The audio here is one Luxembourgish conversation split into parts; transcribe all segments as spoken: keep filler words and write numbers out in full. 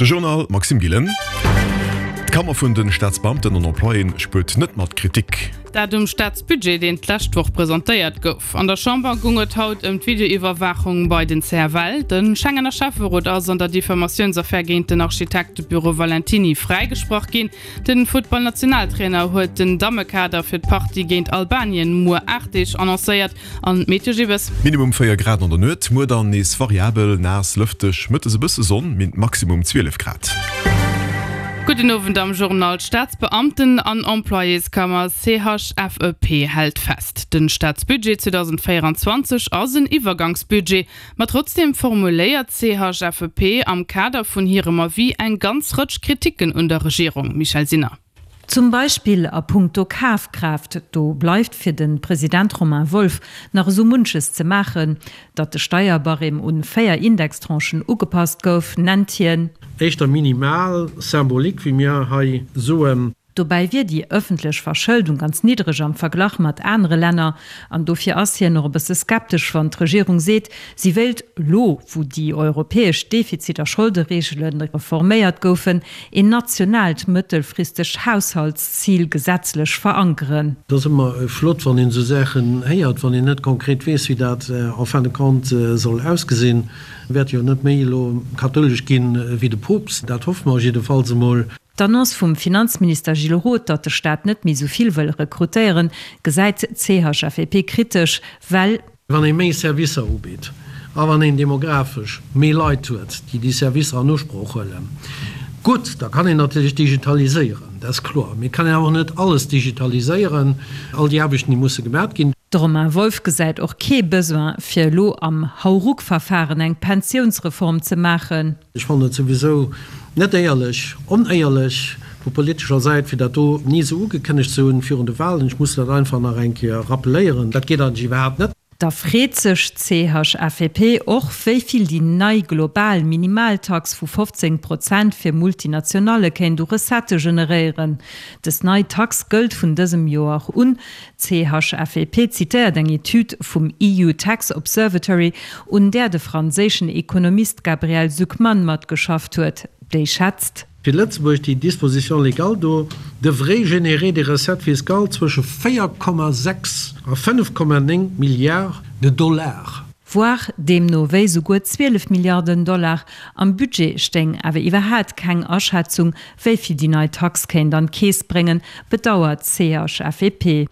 De Journal Maxime Gillen. D'Kammer vun den Staatsbeamten an Employéen spuert net mat Kritik. Dat um Staatsbudget, deen d'lescht Woch presentéiert gouf. An der Chamber goung et haut ëm d'Videoiwwerwaachung bei den C F L. De Schengener Schäfferot ass an der Diffamatiounsaffär géint den Architektebüro Valentiny fräigesprach ginn. Den Futtballnationaltrainer huet den Dammekader fir d'Partie géint Albanien muer aacht Deeg annoncéiert. An d'Meteo Gibbes. Minimum véier Grad an der Nuet, muer dann nees variabel, naass, lëfteg, mëttes e bësse Sonn, min. Maximum zwielef Grad. Gudden Owend am Journal. D'Staatsbeamten an Employéskammer C H F E P hält fest, den Staatsbudget zweedausendvéierundzwanzeg ass en Iwwergangsbudget. Ma trotzdeem formuléiert d'C H F E P am Kader vun hirem Avis eng ganz Rëtsch Kriticken un der Regierung. Michèle Sinner. Zum Beispill a puncto Kafkraaft, do bleift fir de President Romain Wolff nach esou munches ze maachen. Datt de Steierbarème un véier Indextranchen ugepasst gouf, nennt hien. Éischter minimal, symbolique, wéi mir hei soen. Dobäi wier déi ëffentlech Verschëldung ganz niddreg am Verglach mat anere Länner. An dofir ass hien och e bësse skeptesch, wann d'Regierung seet, si wéilt elo, wou déi europäesch Defizit a Scholdereegele reforméiert goufen, een nationaalt mëttelfristegt Haushaltszil gesetzlech verankeren. Et ass ëmmer flott, wann een esou Saachen héiert, wann een net konkret weess, wéi dat en fin de compte soll ausgesinn. Wäert jo net méi elo kathoulesch ginn wéi de Poopst, dat hoffe mer jiddefalls emol. D'Annonce vum Finanzminister Gilles Roth, datt de Staat net méi sou vill wëll rekrutéieren, gesäit d'C H F E P kritesch, well. Wann ee méi Servicer ubitt a wann een demografesch méi Leit huet, déi déi Servicer an Usproch huelen, gutt, da kann een natierlech digitaliséieren, dat ass kloer. Mee et kann een awer och net alles digitaliséieren, all déi Aarbechten, déi musse gemat ginn. De Romain Wolff gesäit och kee Besoin, fir elo am Hauruck-Verfahren eng Pensiounsreform ze maachen. Ech fannen et souwisou net éierlech, onéierlech vu politescher Säit, fir dat do ni esou ugekënnegt ze hunn virun de Wahlen. Ech muss dat einfach nach eng Kéier rappeléieren. Dat geet eigentlech iwwerhaapt net. Da freet sech d'C H F E P och, wéi vill déi nei global Minimaltax vu fofzéng Prozent fir Multinationalle kéint u Recettë generéieren. Dës nei Tax gëllt vun dësem Joer un. D'C H F E P zitéiert eng Etüd vum E U Tax Observatory, un där de franséischen Ekonomist Gabriel Zucman matgeschafft huet. Déi schätzt. Fir Lëtzebuerg, déi Disposition légale do devrait générer des recettes fiscales zwësche véier Komma sechs a fënnef Komma néng Milliards de Dollars. Voire deemno wéi souguer zwielef Milliarden Dollar. Am Budget stéing awer iwwerhaat keng Aschätzung, wéi vill déi nei Tax kéint an d'Keess bréngen, bedauert d'C H F E P.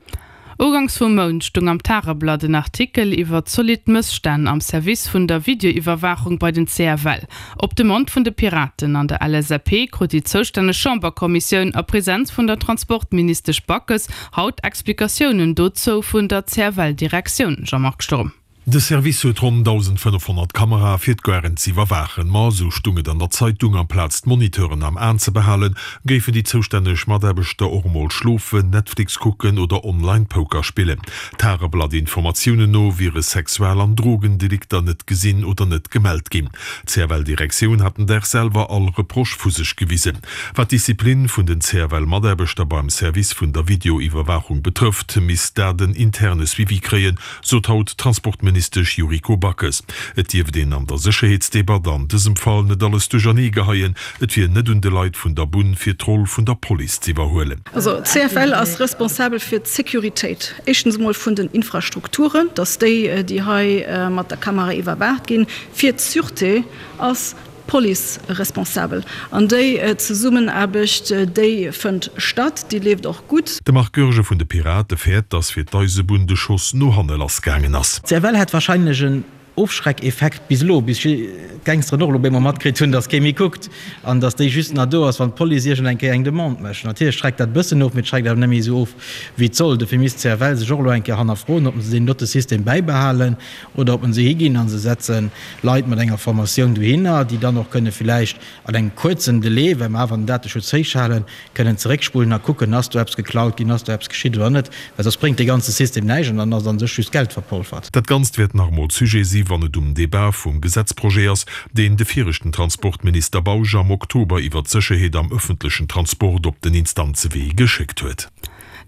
Ugangs vum Mount stung am Tageblatt en Artikel iwwer zolidd Mësstänn am Service vun der Videoiwwerwaachung bei den C F L. Op Demande vun de Piraten an der L S A P krut déi zoustänneg Chamberkommissioun a Präsenz vun der Transportministesch Backes haut Explikatiounen dozou vun der C F L-Direktioun. Jean-Marc Sturm. De Service huet ronn dausendfënnefhonnert Kamerae fir d'Garen ze iwwerwaachen. Ma sou stung et an der Zeitung, amplaz d'Moniteuren am An ze behalen, géifen déi zoustänneg Mataarbechter och emol schlofen, Netflix kucken oder online Poker spillen. Tageblatt-Informatiounen no wiere Sexual an Drogendelikter net gesinn oder net gemellt ginn. D'C F L-Direktioun hat den Dag selwer all Reproche vu sech gewisen. Wat d'Disziplin vun den C F L-Mataarbechter beim Service vun der Videoiwwerwaachung betrëfft, misst dat en interne Suivi kréien, sot haut Transportministesch Yuriko Backes. Et dierft een an der Sécherheetsdebatt an dësem Fall net alles duerchernee geheien. Et wier net un de Leit vun der Bunn fir d'Roll vun der Police ze iwwerhuelen. Also d'C F L ass responsabel fir d'Sécuritéit. Éischtens emol vun den Infrastrukturen, dass déi, déi hei mat der Kamera iwwerwaacht ginn, fir d'Sûreté ass d'Police responsabel. An déi Zesummenaarbecht, déi fënnt statt, déi leeft och gutt. De Marc Goergen vun de Pirate fäert, dass fir d'Eisebunn de Schoss no hanne lassgaangen ass. D'C F L hätt wahrscheinlech en Ofschreckeffekt bis elo, bis d'Gangsteren och elo op eemol matkritt hunn, dass kee méi kuckt an dass déi just nach do ass, wann d'Police iergend eng Kéier eng Demande mécht. Natierlech schreckt dat e bëssen of, mee et schreckt awer net méi esou of, wéi et soll. Dofir misst d'C F L sech och elo eng Kéier hannerfroen, ob se deen dote System bäibehalen oder ob se higinn a se setze Leit mat enger Formatioun dohinner, déi dann och kënne villäicht an engem kuerzen Delai, well mer awer den Dateschutz héich halen, kënnen zeréckspullen a kucken, ass do eppes geklaut ginn, ass do eppes geschitt oder net, well soss bréngt dee ganze System näischt an dann ass an sech just Geld verpolfert. Dat Ganzt wäert nach emol Sujet si wann et um Debat vum Gesetzprojet ass, deen de viregten Transportminister Bausch am Oktober iwwer d'Sécherheet am ëffentlechen Transport op den Instanzewee geschéckt huet.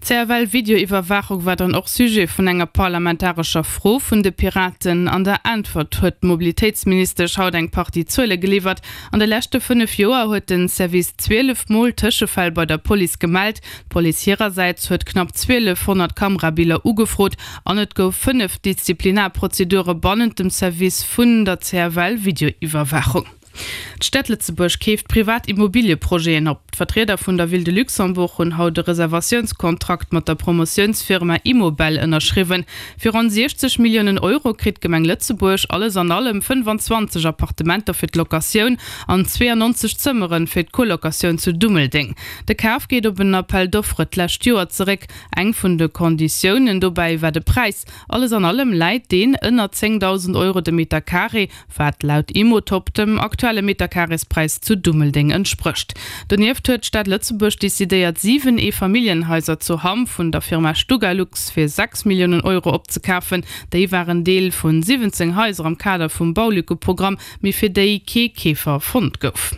D'CFL-Videoiwwerwaachung war dann och Sujet vun enger parlamentarescher Fro vun de Piraten. An der Äntwert huet d'Mobilitéitsministesch haut eng Partie Zuele geliwwert. An de leschte fënnef Joer huet de Service zwielef Mol Tëschefäll bei der Police gemellt. D'Police hirersäits huet knapp zwielefhonnert Kamerabiller ugefrot an et gouf fënnef Disziplinarprozedure bannent dem Service vun der C F L-Videoiwwerwaachung. D'Stad Lëtzebuerg keeft privat Immobilieprojeten op. D'Vertrieder vun der Ville de Luxembourg hunn haut e Reservatiounskontrakt mat der Promotiounsfirma Immobel ënnerschriwwen. Fir ronn siechzeg Milliounen Euro kritt d'Gemeng Lëtzebuerg alles an allem fënnfanzwanzeg Appartementer fir d'Locatioun an zweeanonzeg Zëmmere fir d'Colocatioun zu Dummeldeng. De Kaf geet op en Appel d'offres d'lescht Joer zeréck. Eng vun de Konditiounen dobäi war de Präis. Alles an allem läit deen ënner zéngdausend Euro de Meterkaree, wat laut Immotop dem aktuelle Meterkareespräis zu Dummeldeng entsprécht. Donieft huet d'Stad Lëtzebuerg decidéiert, siwen Eefamilljenhaiser zu Hamm vun der Firma Stugalux fir sechs Milliounen Euro opzekafen. Déi waren Deel vu siwwenzéng Haiser am Kader vum Baulückeprogramm, mee fir déi kee Keefer fonnt gouf.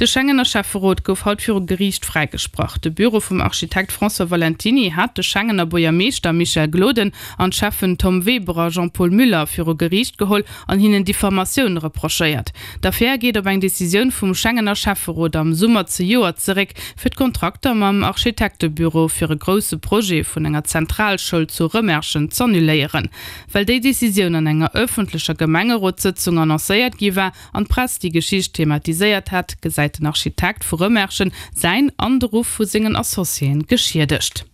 De Schengener Schäfferot gouf haut viru Geriicht fräigesprach. De Büro vum Architekt François Valentiny hat de Schengener Buergermeeschter Michel Gloden an d'Schäffen Tom Weber a Jean-Paul Muller viru Geriicht geholl an hinnen Diffamatioun reprochéiert. D'Affär geet op eng Decisioun vum Schengener Schäfferot am Summer zejoert zeréck, fir d'Kontrakter mam Architektebüro fir e grousse Projet vun enger Zentralschoul zu Rëmerschen z'annuléieren. Well déi Decisioun an enger ëffentlecher Gemengerotssëtzung annoncéiert gi war an d'Press déi Geschicht thematiséiert hat, gesäit den Architekt vu Rëmerschen säin an de Ruff vu sengen Associéen geschiedegt.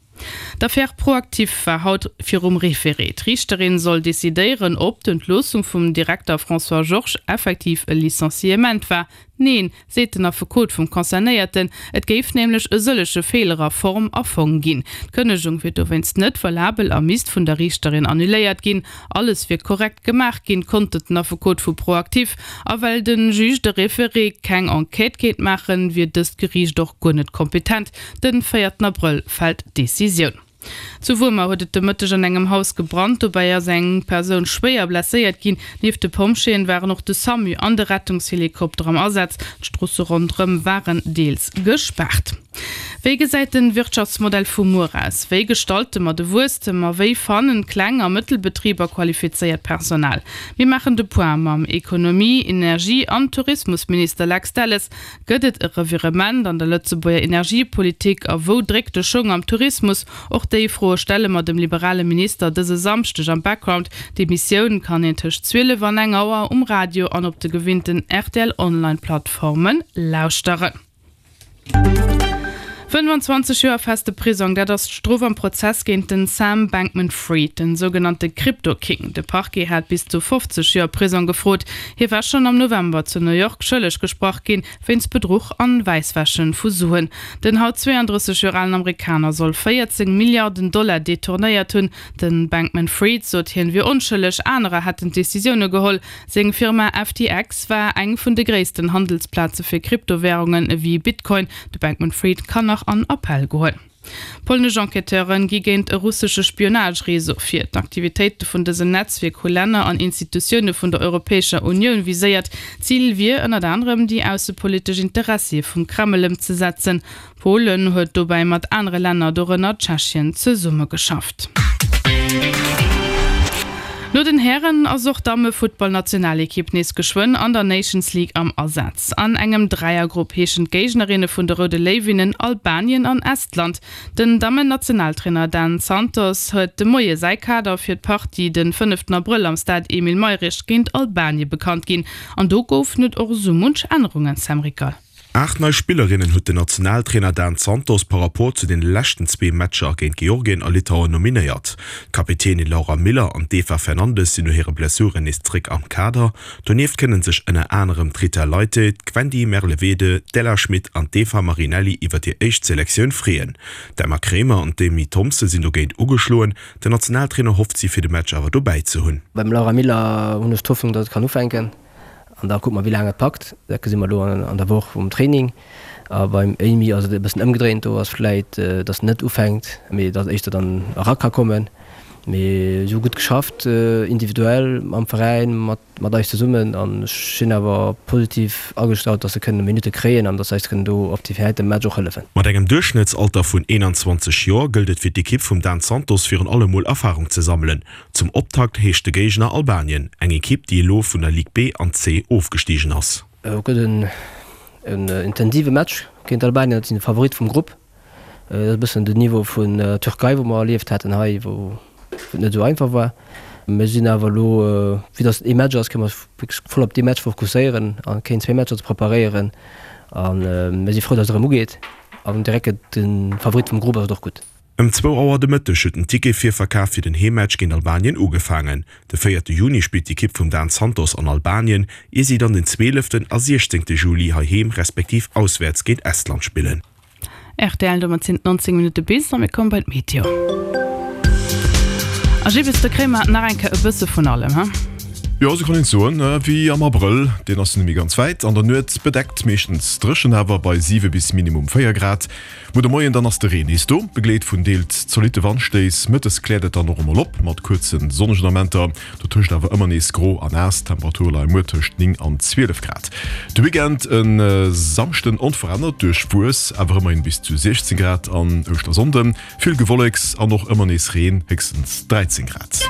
D'Affär ProActif war haut virum Référé. D'Riichterin soll decidéieren, ob d'Entloossung vum Direkter François Georges effektiv e Licenciement war. Neen, seet den Affekot vum Concernéierten, et géif nämlech e sëllege Feeler a Form a Fong ginn. D'Kënnegung wier dowéinst net valabel a misst vun der Riichterin annuléiert ginn. Alles wier korrekt gemaach ginn, kontert den Affekot vu ProActif. A well de Juge de référé keng Enquête kéint maachen, wier dëst Geriicht och guer net kompetent. Den véierten Abrëll fält d'Decisioun. Zu Wuermer huet et de Mëtteg an engem Haus gebrannt, dobäi ass eng Persoun schwéier blesséiert ginn. Nieft de Pompjeeën waren och de SAMU an de Rettungshelikopter am Asaz. D'Stroosse ronderëm waren deels gespaart. Wéi gesäit de Wirtschaftsmodell vu muer aus? Wéi gestalte mer de Wuesstem a wéi fannen Kleng a Mëttelbetriber qualifizéiert Personal? Mir maachen de Point mam Ekonomie-, Energie an Tourismusminister Lex Delles. Gëtt et e Revirement an der Lëtzebuerger Energiepolitik a wou dréckt de Schong am Tourismus? Och déi Froe stelle mer dem liberale Minister dëse Samschdeg am Background. D'Emissioun kann een tëscht zwielef an eng Auer um Radio an op de gewinnten R T L Online-Plattformen lauschteren. fënnfanzwanzeg Joer feste Prisong, dat ass d'Strof am Prozess géint den Sam Bankman-Fried, den sougenannte Crypto-King. De Parquet hat bis zu fofzeg Joer Prisong gefrot. Hie war schonn am November zu New York schëlleg gesprach ginn, wéinst Bedruch an Wäisswäsche vu Suen. Den haut zweeandrësseg Joer alen Amerikaner soll véierzéng Milliarden Dollar detournéiert hunn. De Bankman-Fried sot, hien wier onschëlleg, anerer hätten d'Decisioune geholl. Seng Firma F T X war eng vun de gréissten Handelsplaze fir Kryptowärungen ewéi Bitcoin. De Bankman-Fried kann nach an Appell goen. Polnesch Enquêteure gi géint e russesche Spionage-Réseau vir. D'Aktivitéite vun dësem Netzwierk hu Länner an Institutioune vun der Europäescher Unioun viséiert. Zil wier ënnert anerem déi aussepolitesch Interessie vum Kreml ëmzesetzen. Polen huet dobäi mat anere Länner, dorënner Tschechien, zesummegeschafft. No den Hären ass och d'Damme-Futtballnationalekipp nees geschwënn an der Nations League am Asaz. An engem Dräiergrupp heeschen d'Géignerinne vun de Roude Léiwinnen Albanien an Estland. Den Dammen-Nationaltrainer Dan Santos huet de Moie säi Kader fir d'Partie de fënneften Abrëll am Stade Emile Mayrisch géint Albanie bekannt ginn. An do goufen et och sou munch Ännerungen, Sam Rickal. Aacht nei Spillerinnen huet den Nationaltrainer Dan Santos par Rapport zu den leschten zwee Matcher géint Georgien a Litauen nominéiert. D'Kapitänin Laura Miller an d'Eva Fernandes sinn no hire Blessuren nees zréck am Kader. Donieft kënne sech ënner anerem d'Rita Leite, d'Gwendy Merlevede, d'Ella Schmit an d'Eva Marinelli iwwer hir éischt Selektioun freeën. D'Emma Kremer an d'Amy Thompson sinn dogéint ugeschloen. Den Nationaltrainer hofft si fir de Match awer dobäi ze hunn. Beim Laura Miller hunn ech d'Hoffnung, datt et kann ufänken. An da kucke mer wéi laang et packt. Dat gesi mer elo an der Woch vum Training. A beim Amy ass et e bëssen ëmgedréint, do ass vläit, datt net ufänkt, mee datt éischter dann era ka kommen. Mee si hu gutt geschafft, individuell, mam Veräin, mat mat eis zesummen an ech sinn awer positiv agestallt, dass se kënnen Minutte kréien an dass se eis kënnen do op déi heite Match och hëllefen. Mat engem Duerchschnëttsalter vun eenanzwanzeg Joer gëllt et fir d'Ekipp vum Dan Santos virun allem mol Erfarung ze sammelen. Zum Optakt heescht de Géigner Albanien, eng Ekipp déi elo vun der Ligue B an C ofgestigen ass. Et gëtt en intensive Match géint Albanien, dat sinn de Favorit vum Grupp. Dat ass e bëssen den Niveau vun Türkei, wou mer erlieft haten hei, wou et net esou einfach war. Mir sinn awer elo, vue dass et ee Match ass, kënne mer eis wierklech voll op dee Match fokusséieren a keen zwee Matcher ze preparéieren. A mir si frou, dass et erëm ugeet an direkt géint de Favorit vum Grupp ass et och gutt. Ëm zwou Auer de Mëtteg huet den Ticketvirverkaf fir den Heemmatch géint Albanien ugefaangen. De véierte Juni spillt d'Ekipp vum Dan Santos an Albanien, ier si dann den zwieleften a siechzéngte Juli heiheem respektiv auswäerts géint Estland spillen. Rtl, Domat sinn et neunzéng Minutte bis a mir komme bei d'Meteo. A Gibbes, do kréie mer nach eng Kéier e bësse vun allem, he? Jo, esou kann een et soen, wéi am Abrëll, deen ass jo net méi ganz wäit. An der Nuet bedeckt, meeschtens dréchen awer, bei siwe bis minimum véier Grad. Muer de Moien dann ass de Reen nees do, begleet vun deels zolitte Wandstéiss. Mëttes kläert et dann och emol op, mat kuerze sonnegen Amenter, dotëscht awer ëmmer nees gro a naass. D'Temperature leie muer tëscht néng an zwielef Grad. De Weekend e Samschden onverännert duerchwuess, awer ëmmerhin bis zu siechzéng Grad an Ouschtersonnden vill Gewolleks an och ëmmer nees Reen, héchstens dräizéng Grad.